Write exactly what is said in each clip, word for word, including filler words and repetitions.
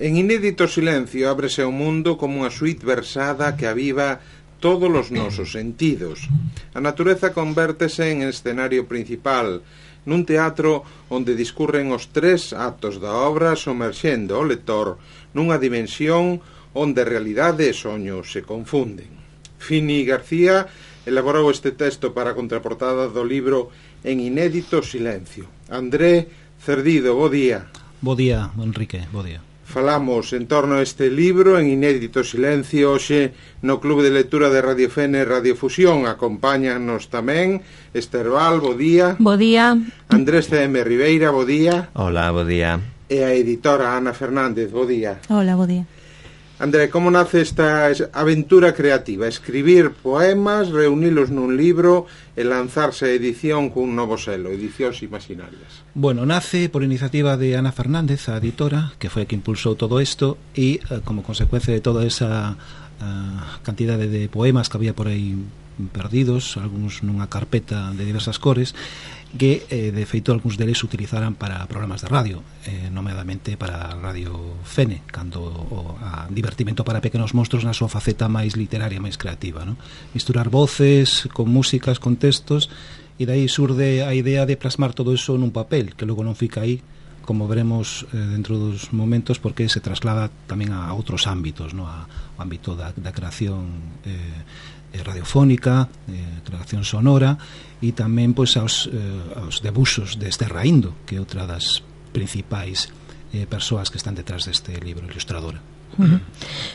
En Inédito Silencio ábrese o mundo como unha suite versada que aviva todos os nosos sentidos. A natureza convértese en escenario principal, nun teatro onde discurren os tres actos da obra somerxendo o lector nunha dimensión onde realidade e soño se confunden. Fini García elaborou este texto para a contraportada do libro En Inédito Silencio. André Cerdido, bo día. Bo día, Enrique, bo día. Falamos en torno a este libro En Inédito Silencio hoxe no Club de Lectura de Radio Fene e Radio Fusión. Acompáñanos tamén Esther Val, bo día. Bo día. Andrés C M Ribeira, bo día. Hola, bo día. E a editora Ana Fernández, bo día. Hola, bo día. André, como nace esta aventura creativa? Escribir poemas, reunilos nun libro e lanzarse a edición cun novo selo, Edicións Imaginarias. Bueno, nace por iniciativa de Ana Fernández, a editora, que foi a que impulsou todo isto, e eh, como consecuencia de toda esa uh, cantidade de poemas que había por aí perdidos, algúns nunha carpeta de diversas cores, que eh, de feito algúns deles utilizaran para programas de radio, eh, nomeadamente para Radio Fene, cando o a divertimento para pequenos monstros na súa faceta máis literaria, máis creativa, ¿no? Misturar voces con músicas, con textos, e dai surde a idea de plasmar todo eso nun papel, que logo non fica aí, como veremos eh, dentro dos momentos, porque se traslada tamén a outros ámbitos, ¿no? A, ao ámbito da, da creación eh, radiofónica, eh, creación sonora, e tamén pois aos, eh, aos debuxos de Esther Raíndo, que é outra das principais eh, persoas que están detrás deste libro, ilustradora. Uh-huh.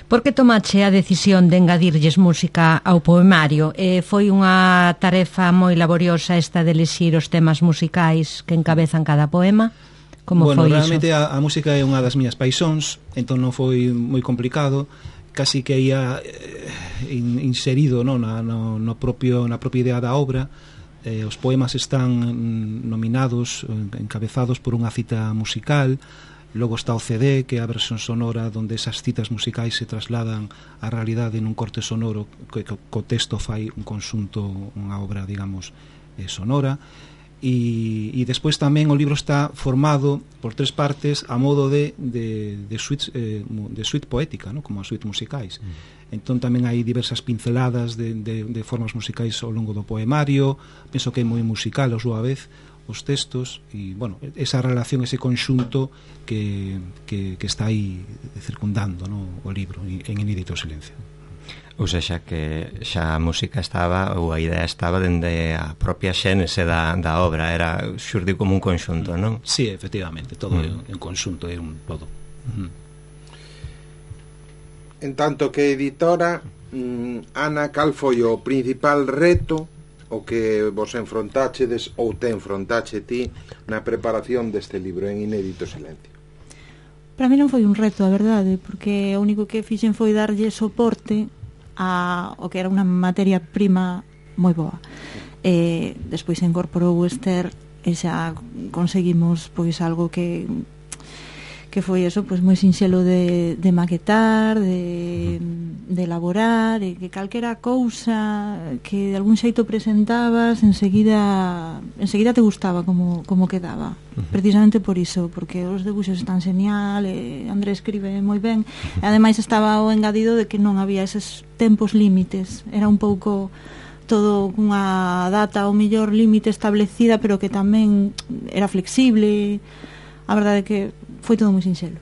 Por que tomache a decisión de engadirlles música ao poemario? Eh, foi unha tarefa moi laboriosa esta de elixir os temas musicais que encabezan cada poema? Como bueno, foi realmente iso? A, a música é unha das miñas paixóns, entón non foi moi complicado, casi que ia eh, in, inserido, no, na, no, no propio, na propia idea da obra. Eh, os poemas están nominados, encabezados por unha cita musical. Logo está o C D, que é a versión sonora onde esas citas musicais se trasladan á realidade nun corte sonoro que co texto fai un conxunto, unha obra, digamos, eh, sonora. E, e despois tamén o libro está formado por tres partes a modo de, de, de, suite, eh, de suite poética, ¿no? Como as suite musicais. Mm. Entón tamén hai diversas pinceladas de, de, de formas musicais ao longo do poemario. Penso que é moi musical a súa vez os textos, e, bueno, esa relación, ese conxunto que, que, que está aí circundando, ¿no? O libro en Inédito Silencio. Ou seja, que xa a música estaba, ou a idea estaba dende a propia xénese da, da obra, era xurdiu como un conxunto, non? Sí, efectivamente, todo mm. é un conxunto, é un todo. Mm. En tanto que editora, mm, Ana, cal foi o principal reto o que vos enfrontáchedes ou te enfrontache ti na preparación deste libro En Inédito Silencio? Para mí non foi un reto, a verdade, porque o único que fixen foi darlle soporte a o que era unha materia prima moi boa. E despois se incorporou Esther e xa conseguimos pois algo que que foi eso, pois moi sinxelo de, de maquetar, de, de elaborar, e que calquera cousa que de algún xeito presentabas enseguida enseguida te gustaba como, como quedaba. Uh-huh. Precisamente por iso, porque os debuxos están genial, e André escribe moi ben, e ademais estaba o engadido de que non había eses tempos límites, era un pouco todo unha data ao mellor límite establecida, pero que tamén era flexible. A verdade é que foi todo moi sinxelo.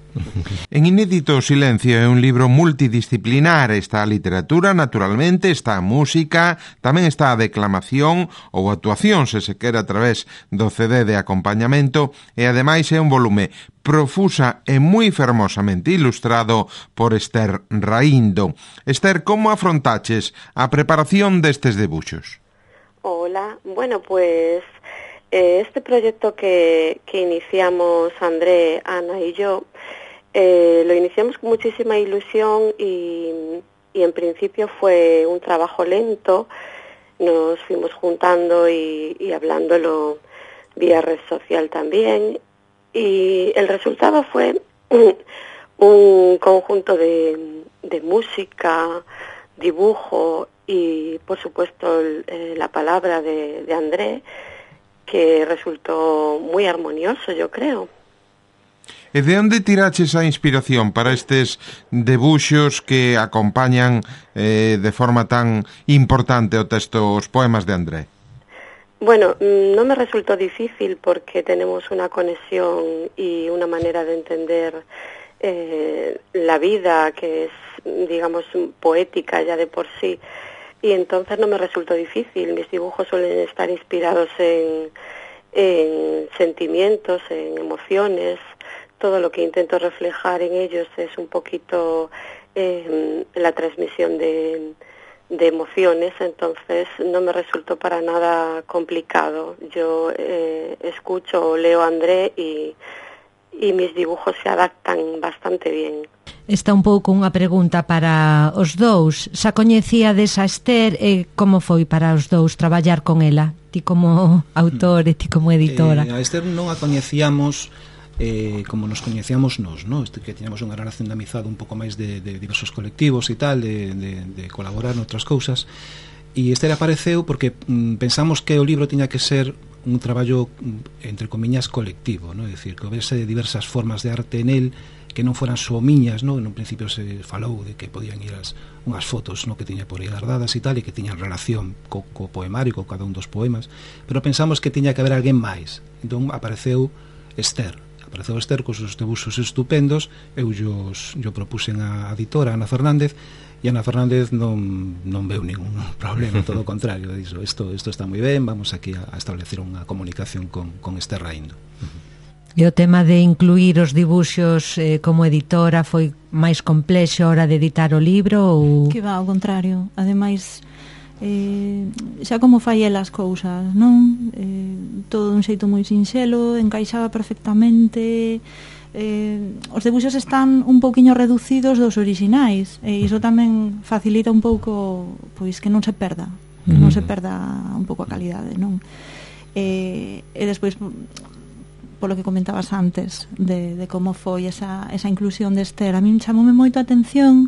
En Inédito Silencio é un libro multidisciplinar. Está a literatura, naturalmente, está a música, tamén está a declamación ou actuación, se se quere, a través do C D de acompañamento, e ademais é un volume profusa e moi fermosamente ilustrado por Esther Raíndo. Esther, como afrontaches a preparación destes debuxos? Hola, bueno, pues este proyecto que, que iniciamos André, Ana y yo, eh, lo iniciamos con muchísima ilusión y, y en principio fue un trabajo lento. Nos fuimos juntando y, y hablándolo vía red social también, y el resultado fue un, un conjunto de, de música, dibujo y por supuesto eh, la palabra de, de André, que resultó muy armonioso, yo creo. E de onde tiraches a inspiración para estes debuxos que acompañan eh, de forma tan importante o texto, os poemas de André? Bueno, no me resultó difícil porque tenemos una conexión y una manera de entender eh, la vida que es, digamos, poética ya de por sí. Y entonces no me resultó difícil. Mis dibujos suelen estar inspirados en, en sentimientos, en emociones. Todo lo que intento reflejar en ellos es un poquito eh, la transmisión de, de emociones. Entonces no me resultó para nada complicado. Yo eh, escucho o leo a André y, y mis dibujos se adaptan bastante bien. Está un pouco unha pregunta para os dous. Xa coñecíades a Esther e como foi para os dous traballar con ela? Ti como autor e ti como editora. Eh, a Esther non a coñecíamos eh, como nos coñecíamos nós, ¿no? Este, que tiñamos unha relación de amizade un pouco máis de, de diversos colectivos e tal, de, de, de colaborar noutras cousas. E Esther apareceu porque mm, pensamos que o libro tiña que ser un traballo, entre comiñas, colectivo, ¿no? É dicir, que houvese diversas formas de arte en el que non foran só miñas, no? En un principio se falou de que podían ir as, unhas fotos, no? Que tiña por aí guardadas e tal, e que tiñan relación co, co poemario, co cada un dos poemas, pero pensamos que tiña que haber alguén máis. Entón apareceu Esther, apareceu Esther cos seus debuxos estupendos. Eu yo propuxen a editora Ana Fernández, e Ana Fernández non, non veu ningún problema, todo o contrario, dixo, isto, isto está moi ben, vamos aquí a, a establecer unha comunicación con, con Esther Raíndo. Uh-huh. E o tema de incluir os dibuxos eh, como editora foi máis complexo a hora de editar o libro? Ou... Que va, ao contrario. Ademais, eh, xa como fai ela as cousas, non? Eh, todo dun xeito moi sinxelo, encaixaba perfectamente. Eh, os debuxos están un pouquiño reducidos dos orixinais, e iso tamén facilita un pouco pois que non se perda, que non se perda un pouco a calidade, non? Eh, e despois, polo que comentabas antes de, de como foi esa, esa inclusión de Esther, a min chamoume moito a atención.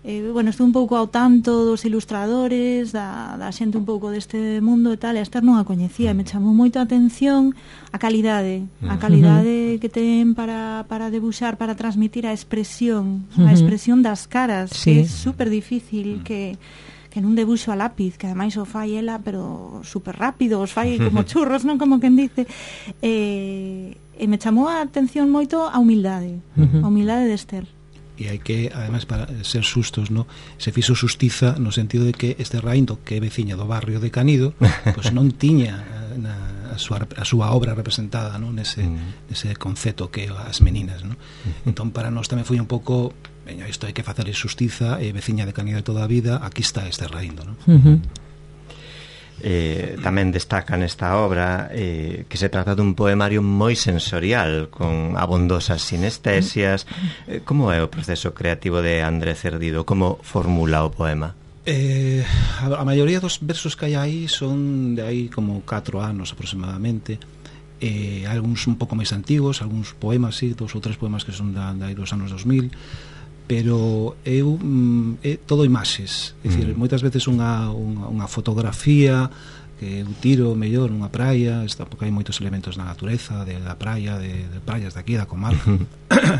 Eh, bueno, estou un pouco ao tanto dos ilustradores, da, da xente un pouco deste mundo e tal, e a Esther non a coñecía, me chamou moito a atención a calidade, a calidade que ten para, para debuxar, para transmitir a expresión, a expresión das caras, sí. Que é super difícil, que que nun debuxo a lápiz, que ademais o fai ela, pero super rápido, os fai como churros, non como quen dice. E, e me chamou a atención moito a humildade, a humildade de Esther. E hai que, ademais, para ser sustos, no, se fixo xustiza no sentido de que Esther Raíndo, que é veciña do barrio de Canido, pois non tiña na, a, súa, a súa obra representada, no, nese, mm. nese concepto que as meninas, no? Entón para nós tamén foi un pouco, veño, isto hai que facer xustiza, e veciña de Canido de toda a vida, aquí está Esther Raíndo, no? Uh-huh. Eh, tamén destaca nesta obra eh, que se trata dun poemario moi sensorial, con abondosas sinestesias. Eh, como é o proceso creativo de André Cerdido? Como formula o poema? Eh, a, a maioría dos versos que hai aí son de aí como catro anos aproximadamente. Eh, algúns un pouco máis antigos, algúns poemas, sí, dos ou tres poemas que son da, da dos anos dos mil, pero eu mm, é todo imaxes, é dicir, mm. moitas veces unha, unha, unha fotografía que eu tiro mellor nunha praia, está, porque hai moitos elementos na natureza, de da praia, de, de praias de aquí, da comarca.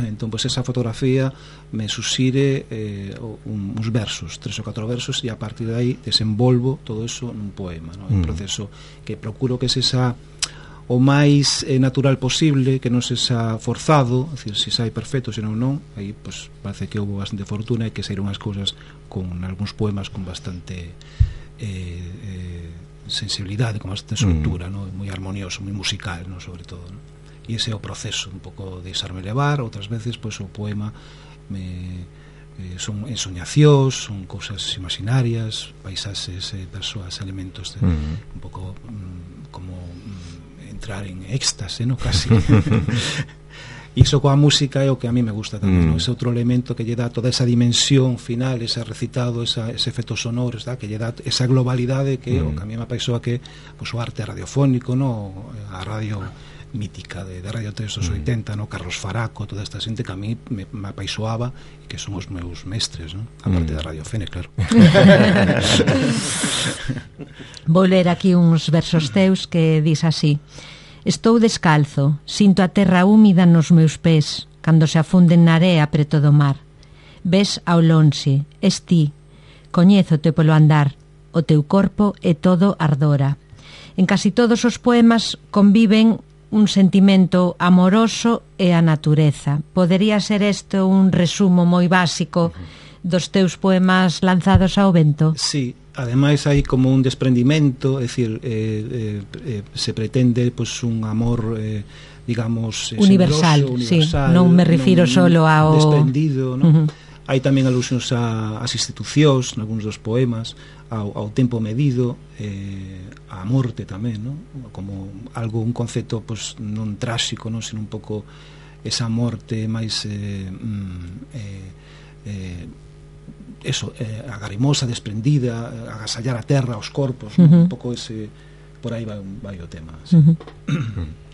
Entón, pois, esa fotografía me susire eh, un, uns versos, tres ou catro versos, e a partir de aí desenvolvo todo eso nun poema, ¿no? Un mm. proceso que procuro que se esa o máis eh, natural posible, que non se xa forzado, é dicir, se sai perfecto, senón non, aí pues, parece que houve bastante fortuna e que saíron as cousas con algúns poemas con bastante eh, eh, sensibilidade, con bastante soltura, mm. ¿no? Moi armonioso, moi musical, ¿no? Sobre todo, ¿no? E ese é o proceso, un pouco de deixarme levar. Outras veces, pues, o poema me, eh, son ensoñacións, son cousas imaginarias, paisaxes, eh, persoas, elementos de, mm. un pouco mm, como mm, entrar en éxtase, no? Casi. Iso coa música é o que a mí me gusta tamén, mm. no? Ese outro elemento que lle dá toda esa dimensión final, ese recitado, esa, ese efecto sonoro, está? Que lle dá esa globalidade que mm. o que a mí me apaixoa, que pues, o arte radiofónico, no? A radio mítica de, de Radio tres dos oitenta, no? Carlos Faraco, toda esta xente que a mí me, me apaixoaba e que son os meus mestres, no? A parte mm. da Radio Fene, claro. Vou ler aquí uns versos teus que dis así: estou descalzo, sinto a terra húmida nos meus pés, cando se afunden na area preto do mar. Ves ao lonxe, es ti, coñézote polo andar, o teu corpo é todo ardora. En casi todos os poemas conviven un sentimento amoroso e a natureza. Podería ser este un resumo moi básico dos teus poemas lanzados ao vento? Sí, ademais hai como un desprendimento, é dicir, eh, eh, se pretende pues, un amor eh, digamos universal, universal, universal, sí, non me refiro non solo ao desprendido, ¿no? Uh-huh. Hai tamén alusións a, as institucións nalgúns dos poemas, ao, ao tempo medido, eh, a morte tamén, ¿no? Como algo, un concepto pues, non tráxico, ¿no? Sino un pouco esa morte máis eh, eh, eh, eso, eh, agarimosa, desprendida, agasallar a terra, os corpos, ¿no? Uh-huh. Un pouco ese, por aí vai, vai o tema, sí. Uh-huh.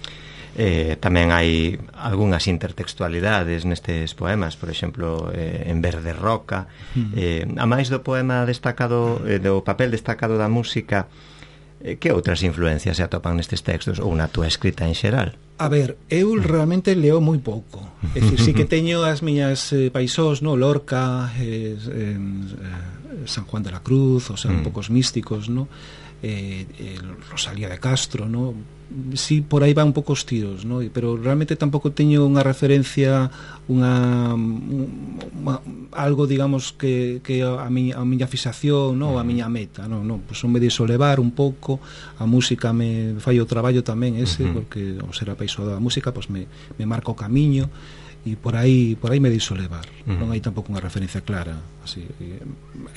Eh, tamén hai algunhas intertextualidades nestes poemas, por exemplo, eh, en Verde Roca. Uh-huh. eh, a máis do poema destacado, eh, do papel destacado da música, eh, que outras influencias se atopan nestes textos ou na túa escrita en xeral? A ver, eu realmente leo moi pouco. É dicir, sí que teño as miñas eh, paisós, no? Lorca, eh, eh, San Juan de la Cruz, o sea, mm. un pouco os místicos, no? Eh, eh, Rosalía de Castro, no? Sí, por aí van un pouco os tiros, no? Pero realmente tampouco teño unha referencia, unha, unha algo, digamos, que, que a, miña, a miña fixación, no? A miña meta, no? No, pues son me deixo levar un pouco, a música me fai o traballo tamén ese, uh-huh. porque ao ser apaixonado da música, pues me, me marca o camiño, e por aí por aí me deixo levar. Uh-huh. Non hai tampouco unha referencia clara, así, eh,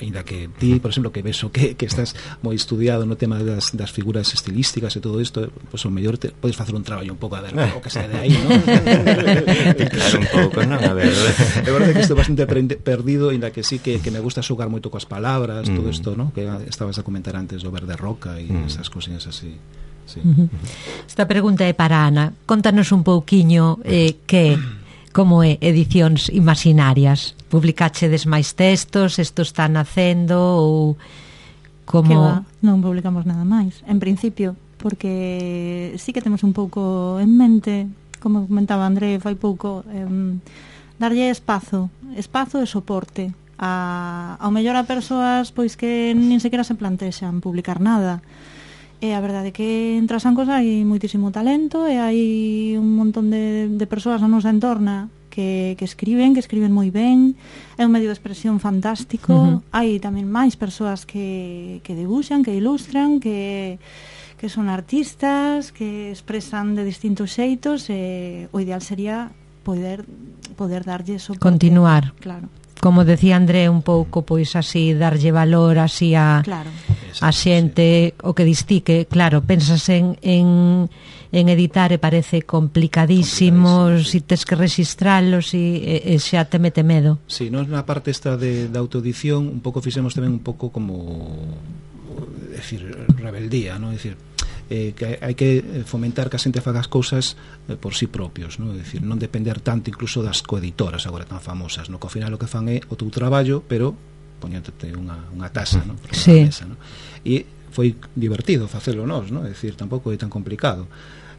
ainda que ti, por exemplo, que vexo que, que estás moi estudiado no tema das, das figuras estilísticas e todo isto, pois pues, o mellor te, podes facer un traballo un pouco a ver o que se de aí, non? Claro, un pouco, non? A ver. É verdade que estou bastante perdido, ainda que sí que, que me gusta xogar moito coas palabras, mm. todo isto, non? Que estabas a comentar antes do Verde Roca e mm. esas cosillas así. Sí. Uh-huh. Esta pregunta é para Ana. Contanos un pouquiño eh, que como é Edicións Imaginarias? Publicachedes máis textos? Isto está nacendo ou como... Que va, non publicamos nada máis. En principio, porque sí que temos un pouco en mente, como comentaba André fai pouco, eh, darlle espazo, espazo e soporte a, ao mellor a persoas pois que nin sequera se plantexan publicar nada. E a verdade é que en Trasancos hai moitísimo talento e hai un montón de, de persoas na nosa entorna que, que escriben, que escriben moi ben, é un medio de expresión fantástico. Uh-huh. Hai tamén máis persoas que, que debuxan, que ilustran, que, que son artistas, que expresan de distintos xeitos, e o ideal sería poder, poder darlle soporte. Continuar. Claro. Como decía André, un pouco pois así darlle valor así a, claro. a xente, o que distique, claro, pensas en, en, en editar e parece complicadísimo, si sí. tes que registralos e, e xa te mete medo. Si, sí, nos na parte esta de, de autoedición un pouco fixemos tamén un pouco como decir, rebeldía, ¿no? Decir, eh, que hai que fomentar que a xente faga as cousas eh, por sí propios, ¿no? Decir, non depender tanto incluso das coeditoras agora tan famosas, ¿no? Que ao final o que fan é o teu traballo, pero poñéndote unha, unha tasa, ¿no? Sí. Mesa, ¿no? E foi divertido facelo nós, ¿no? É dicir, tampouco é tan complicado.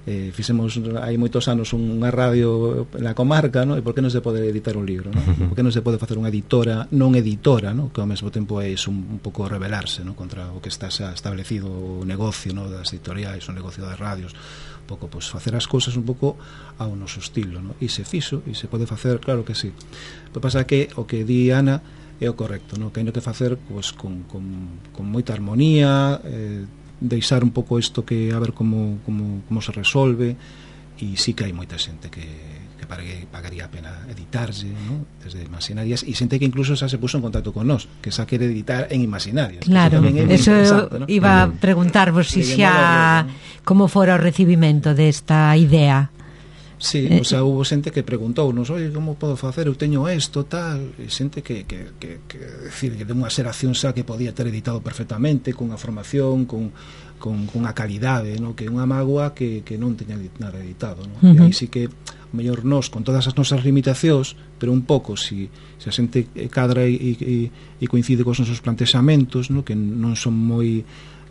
Eh, fixemos hai moitos anos unha radio na comarca, ¿no? E por que non se pode editar un libro, ¿no? Por que non se pode facer unha editora non editora, ¿no? Que ao mesmo tempo é un, un pouco rebelarse, ¿no? Contra o que está xa establecido o negocio, ¿no? Das editoriais, o negocio das radios, un pouco, pues, facer as cousas un pouco ao noso estilo, ¿no? E se fixo, e se pode facer, claro que sí. O que pasa que o que di Ana é o correcto, ¿no? Que hai no que facer, pues, con, con, con moita armonía, eh, deixar un pouco isto que a ver como, como, como se resolve, e sí que hai moita xente que, que pagaría, pagaría a pena editarse, ¿no? Desde Imaginarias, e xente que incluso xa se puso en contacto con nós, que xa quere editar en Imaginarias. Claro, eso, eso ¿no? iba a preguntarvos si xa como fora o recibimento desta idea. Sí, o sea, hubo xente que preguntounos, oye, como podo facer, eu teño isto, tal, e xente que, que, que, que decir, que de unha xeración xa que podía ter editado perfectamente, con a formación, con, con, con a calidade, ¿no? Que é unha mágoa que, que non teña nada editado, ¿no? Uh-huh. E aí sí que, o mellor nós, con todas as nosas limitacións, pero un pouco, si, si a xente cadra e, e, e coincide cos nosos plantexamentos, ¿no? Que non son moi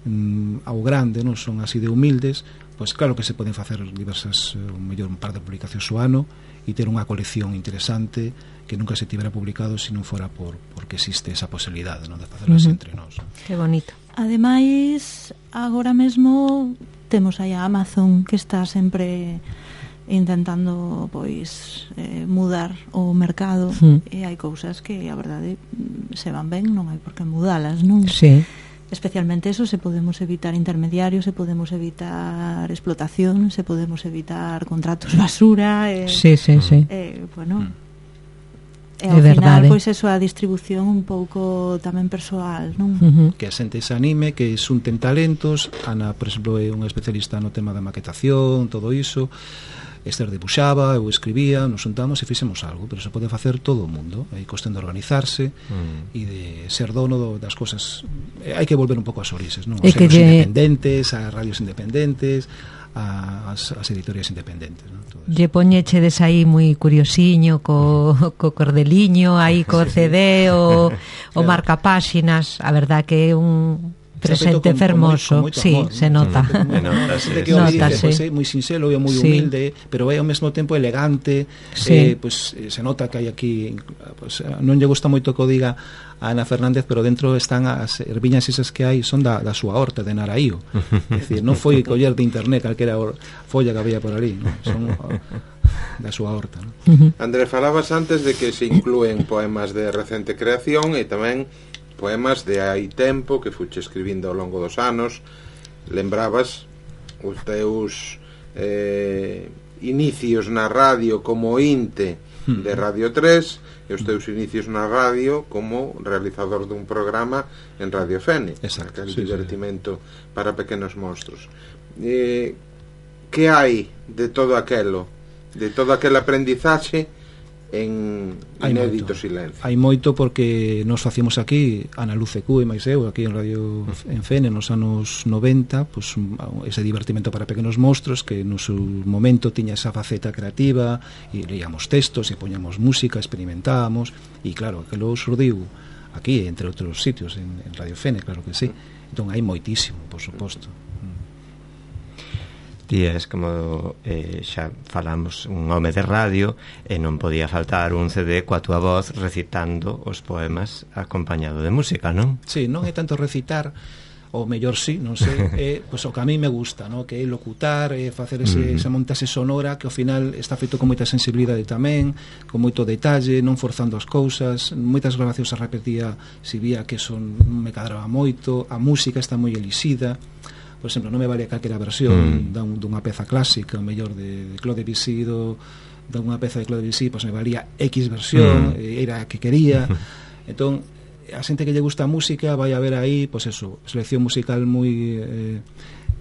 mm, ao grande, non son así de humildes, pois claro que se poden facer diversas, o mellor un par de publicacións ao ano e ter unha colección interesante que nunca se tivera publicado se non fora por porque existe esa posibilidade, non, de facerlas uh-huh. entre nós. Que bonito. Ademais, agora mesmo temos aí a Amazon, que está sempre intentando pois eh, mudar o mercado, uh-huh. e hai cousas que a verdade se van ben, non hai por que mudalas, non? Sí. Especialmente eso, se podemos evitar intermediarios, se podemos evitar explotación, se podemos evitar contratos basura, eh, sí, sí, sí. Eh, bueno, mm. e ao é final, verdade. pois eso, a distribución un pouco tamén persoal, non? Uh-huh. Que a xente se anime, que xunten talentos. Ana, por exemplo, é unha especialista no tema da maquetación, todo iso. Esther debuxaba, eu escribía, nos juntamos e fixemos algo, pero se pode facer todo o mundo. Hai cuestión de organizarse mm. e de ser dono do, das cosas. Eh, hai que volver un pouco ás orixes, non? Os que lle... independentes, as radios independentes, as, as editorias independentes, non? Todo eso. Lle poñechedes aí moi curiosiño co, co cordeliño, aí co C D, o, o marcapáxinas. A verdad que é un presente con, fermoso, con moi, con sí, amor, se nota. Nota, é moi sinxelo e moi sí. humilde, pero é ao mesmo tempo elegante, sí. eh, pues, se nota que hai aquí, pues, non lle gusta moito que o diga a Ana Fernández, pero dentro están as erviñas esas que hai, son da, da súa horta de Naraío. É dicir, non foi coller de internet calquera folla que había por ali, non? Son da súa horta, non? Uh-huh. André, falabas antes de que se inclúen poemas de recente creación e tamén poemas de hai tempo que fuche escribindo ao longo dos anos. Lembrabas os teus eh, inicios na radio como inte de Radio tres e os teus inicios na radio como realizador dun programa en Radio Fénix, aquel sí, divertimento sí. para pequenos monstros. Eh, que hai de todo aquelo, de todo aquel aprendizaxe en inédito silencio? Hai moito, porque nos facíamos aquí, Ana Luz e Cu e máis eu, aquí en Radio en Fene nos anos noventa, pues, ese divertimento para pequenos monstros que no seu momento tiña esa faceta creativa, e leíamos textos e poñamos música, experimentábamos, e claro, que logo surdiu aquí, entre outros sitios, en, en Radio Fene, claro que sí. Entón hai moitísimo, por suposto. Días, como eh, xa falamos, un home de radio, e non podía faltar un C D coa túa voz recitando os poemas acompañado de música, non? Sí, non é tanto recitar, ou mellor sí, non sei, é pois, o que a mí me gusta, no? Que é locutar, é facer ese, mm. esa montase sonora que ao final está feito con moita sensibilidade tamén, con moito detalle, non forzando as cousas. Moitas grabacións a repetía, si vía que son me cadraba moito, a música está moi elixida. Por exemplo, non me vale calquera versión mm. dunha peza clásica, o mellor de, de Claude Debussy, do, dunha peza de Claude Debussy, pois me valía X versión, mm. era a que quería. Entón, a xente que lle gusta a música vai a ver aí, pois eso, selección musical moi eh,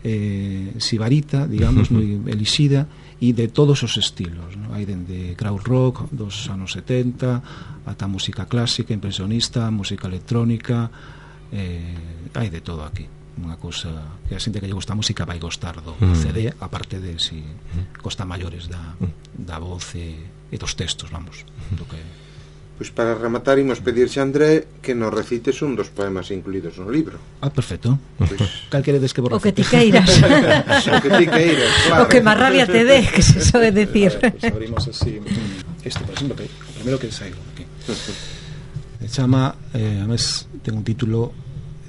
eh, sibarita, digamos, moi elixida, e de todos os estilos, ¿no? Hai dende crowd rock dos anos setenta ata música clásica, impresionista, música electrónica, eh, hai de todo aquí. Unha cousa que a xente que lle gusta a música vai gostar do mm. C D, aparte de si costa maiores da, da voz e, e dos textos, vamos, do que... Pois para rematar imos pedirse a André que nos recites un dos poemas incluídos no libro. Ah, perfecto. Pois cal queredes que vos recite? O que ti queiras. O que ti queiras, claro. O que máis rabia te dé, que se sobe decir. Claro, pues abrimos así este, por exemplo, que o primeiro que saigo aquí. Se chama, eh, a mes ten un título,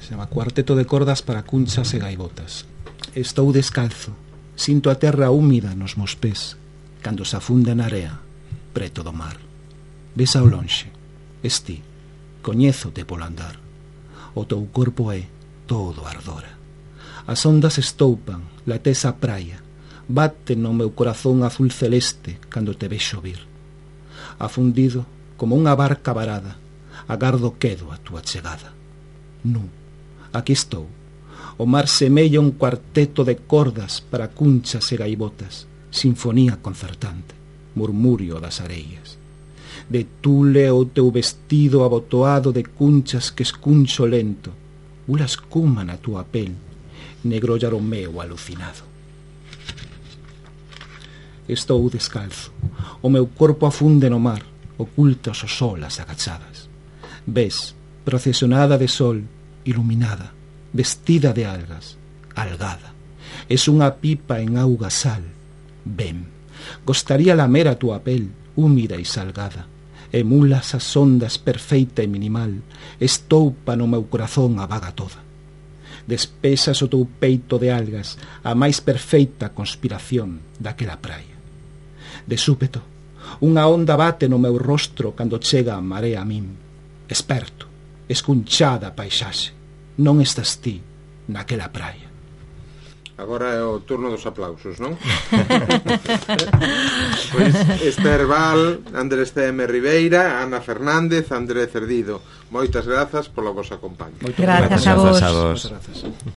se chama Cuarteto de cordas para cunchas e gaivotas. Estou descalzo, sinto a terra húmida nos meus pés cando se afunda na area preto do mar. Ves ao lonxe, esti, coñézote polo andar. O teu corpo é todo ardora. As ondas estoupan, lates a praia, bate no meu corazón azul celeste cando te vexo vir. Afundido como unha barca varada, agardo quedo a túa chegada. Nu, aquí estou. O mar semella un cuarteto de cordas para cunchas e gaivotas, sinfonía concertante, murmurio das areias. De tule o teu vestido abotoado de cunchas que escuncho lento, ula escuma na túa pel, negro llaro meu alucinado. Estou descalzo, o meu corpo afunde no mar, ocultas os olas agachadas. Ves, procesionada de sol, iluminada, vestida de algas, algada. Es unha pipa en auga sal. Ven, gostaría lamer a túa pel, húmida e salgada. Emulas as ondas perfeita e minimal, estoupa no meu corazón a vaga toda. Despesas o teu peito de algas, a máis perfeita conspiración daquela praia. De súpeto, unha onda bate no meu rostro cando chega a marea a min. Esperto, escunchada a paisaxe, non estás ti naquela praia. Agora é o turno dos aplausos, non? Pois Esther Val, Andrés C M Ribeira, Ana Fernández, André Cerdido, moitas grazas polo vosa compañía. Grazas a vos. Moitas grazas.